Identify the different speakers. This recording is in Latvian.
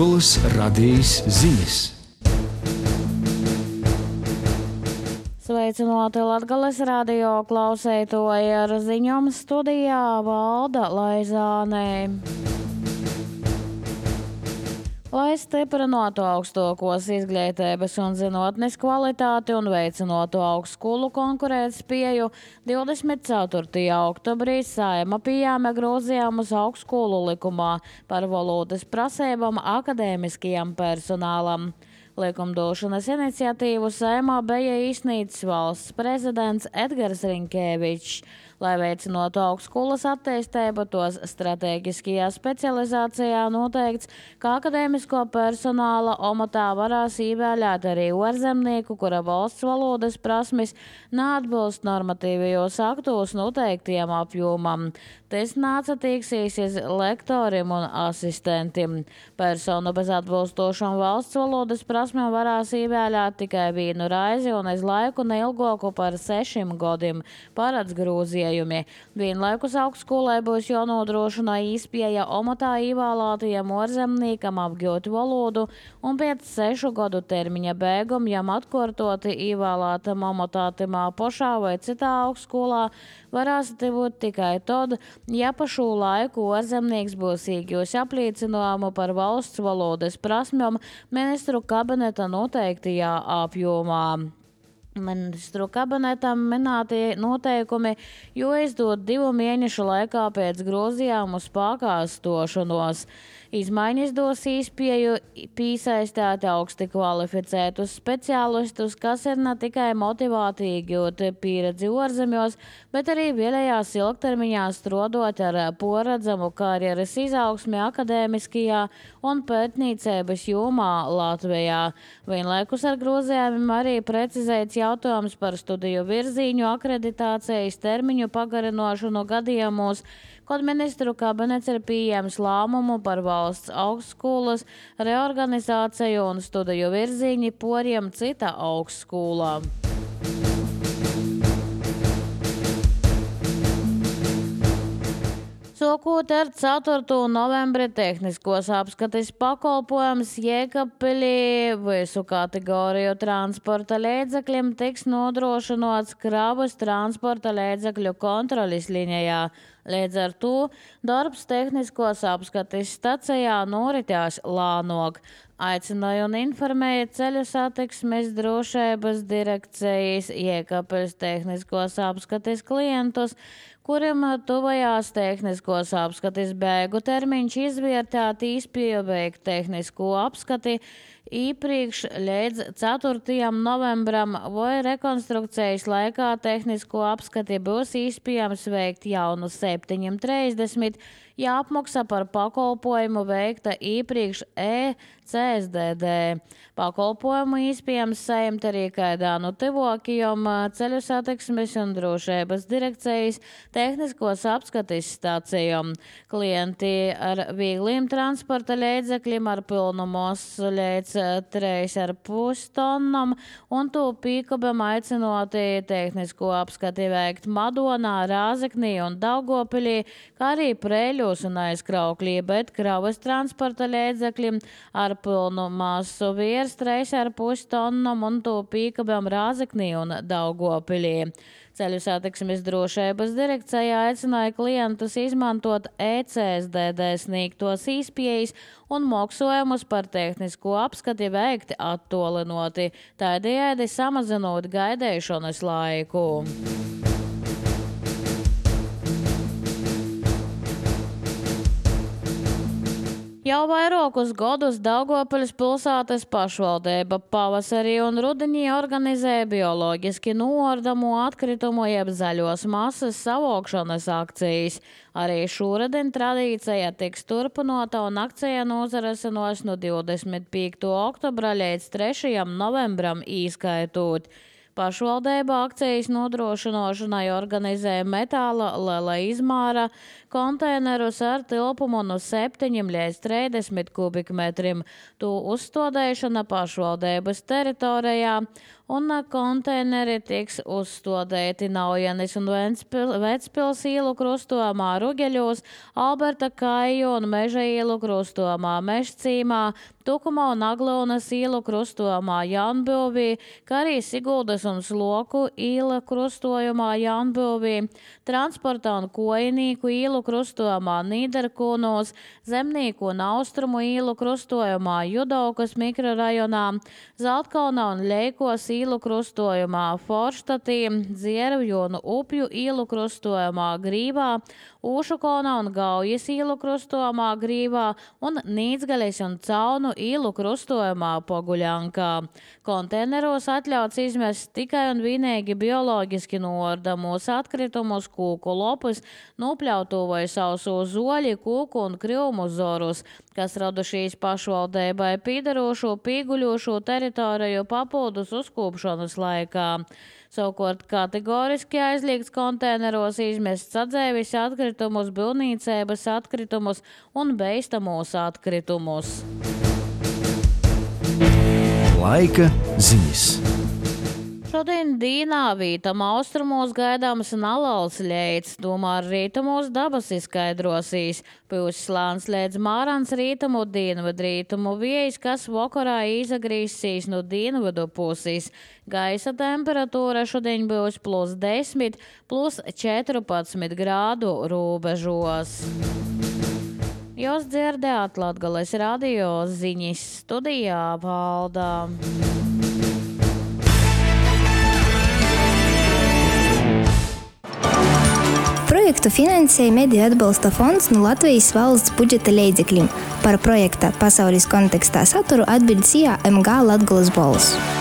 Speaker 1: Latgoles radījis ziņas.
Speaker 2: Sveicināti Latgales radio klausētoji, ar ziņām studijā Valda Laizāne. Lai stiprinātu augstākos izglītības un zinātnes kvalitāti un veicinātu augstskolu konkurētspēju, 24. oktobrī Saeima pieņēma grozījumus augstskolu likumā par valodas prasībām akadēmiskajam personālam. Likumdošanas iniciatīvu Saeimā bija izsniedzis valsts prezidents Edgars Rinkēvičs. Lai veicinātu augstskolas attīstību, tos stratēģiskajā specializācijā noteikts, ka akadēmisko personāla amatā varēs ievēlēt arī ārzemnieku, kura valsts valodas prasmes neatbilst normatīvajos aktos noteiktiem apjomam. Tas neatsatiksies lektoriem un asistentiem. Personu bez atbilstošām valsts valodas prasmēm varēs ievēlēt tikai vienu reizi un uz laiku neilgāku par 6 gadiem, paredz grozījumi. Vienlaikus augstskolai būs jānodrošina iespēja amatā ievēlētajam ārzemniekam apgūt valodu un pēc 6 gadu termiņa beigām jam atkārtoti ievēlētam amatā tamā pašā vai citā augstskolā varēs būt tikai tad, ja pa šo laiku ārzemnieks būs iegūs apliecinājumu par valsts valodas prasmēm ministru kabineta noteiktajā apjomā. Ministru kabinetam minētie noteikumi jāizdod 2 mēnešu laikā pēc grozījumu spēkā stošanos. Izmaiņas dos iespēju piesaistīt augsti kvalificētus speciālistus, kas ir ne tikai motivēti iegūt pieredzi ārzemēs, bet arī vēlējās ilgtermiņā strādāt ar paredzamu karjeras izaugsmi akadēmiskajā un pētniecības jomā Latvijā. Vienlaikus ar grozījumiem arī precizēts jautājums par studiju virzīņu akreditācijas termiņu pagarināšanu gadījumos, kad ministru kabinets ir pieņēmis lēmumu par valsts augstskolas reorganizāciju un studiju virzīņi poriem cita augstskolā. Sākot ar 4. novembri tehniskos apskates pakalpojums Jēkabpilī visu kategoriju transporta līdzekļiem tiks nodrošināts kravas transporta līdzekļu kontroles līnijā. Līdz ar to darbs tehniskos apskates stacijā noritās lēnāk. Aicināja un informēja ceļu satiksmes drošības direkcijas Jēkabpils tehniskos apskates klientus, kuriem tuvajās tehniskos apskates beigu termiņš izvērtēt īspēju veikt tehnisko apskati iepriekš līdz 4. novembram vai rekonstrukcijas laikā tehnisko apskati būs iespējams veikt jau no 7:30, ja apmaksa par pakalpojumu veikta iepriekš CSDD. Pakalpojumu iespējams saņemt arī kādā no tuvākajām ceļu satiksmes un drošības direkcijas tehniskos apskates stācijām. Klienti ar viegliem transporta līdzekļiem ar pilnu masu līdz 3,5 tonnām un to pīkabam aicinoti tehnisko apskati veikt Madonā, Rāzeknī un Daugavpilī, kā arī Preļos un Aizkrauklī, bet kravas transporta līdzekļiem ar pilnu masu virs 3,5 tonnām un to pīkabam Rāzeknī un Daugavpilī. Ceļu satiksmes drošības direkcija aicināja klientus izmantot CSDD sniegtos iespējas un maksājumus par tehnisko apskati veikti attālinoti, tādējādi samazinot gaidīšanas laiku. Jau vairākus gadus Daugavpils pilsētas pašvaldība pavasarī un rudenī organizē bioloģiski noardamu atkritumu jeb zaļos masas savākšanas akcijas. Arī šūreden tradīcija tiks turpinota un akcija nozarasinās no 25. oktobra līdz 3. novembram īskaitot. Pašvaldība akcijas nodrošināšanai organizē metāla liela izmēra konteinerus ar tilpumu no 7 līdz 30 kubikmetriem. To uzstādīšana pašvaldības teritorijā un konteineri tiks uzstādīti Naujenes un Vecpils ielu krustojumā Rugeļos, Alberta Kaiju un Meža ielu krustojumā Mežcīmā, Tukuma un Aglūnas ielu krustojumā Jaunbilvī, kā arī Siguldas un Sloku iela krustojumā Jaunbilvī, Transporta un Kojinīku ielu krustojumā Nīderkūnos, Zemnīku un Austrumu ielu krustojumā Judaukas mikrorajonā, Zeltkalna un Leikos ielu krustojumā Forštatī, Dziervju un Upju ielu krustojumā Grīvā, Ūšukalna un Gaujas ielu krustojumā Grīvā un Nīdzgaļas un Caunu ielu krustojumā Poguļankā. Konteineros atļauts izmest tikai un vienīgi bioloģiski noardamos atkritumus, kūku lopus, nopļautu vai sausu zoļi, kūku un krivmu zorus, kas radušies pašvaldībai pīdarošu, pīguļošu teritoriju papildus uzkūpšanas laikā. Savukārt kategoriski aizliegts konteineros izmest sadzēvis atkritumus, būvniecības atkritumus un beistamos atkritumus.
Speaker 1: Laika ziņas.
Speaker 2: Šodien dīnā vītam austrumos gaidāms nalauts ļeits, tomēr rītumos dabas izskaidrosīs. Pūs slāns līdz mārans rītumu dienvidrītumu vējs, kas vakarā izagrīsīs no dienvidu puses. Gaisa temperatūra šodien būs +10, +14 grādu robežos. Jūs dzirdējāt Latgales radio ziņas, studijā Valdā.
Speaker 3: Projektu finansēja Mediju atbalsta fonds no Latvijas valsts budžeta līdzekļiem. Par projekta pasaules kontekstā saturu atbild MG Latgales balss.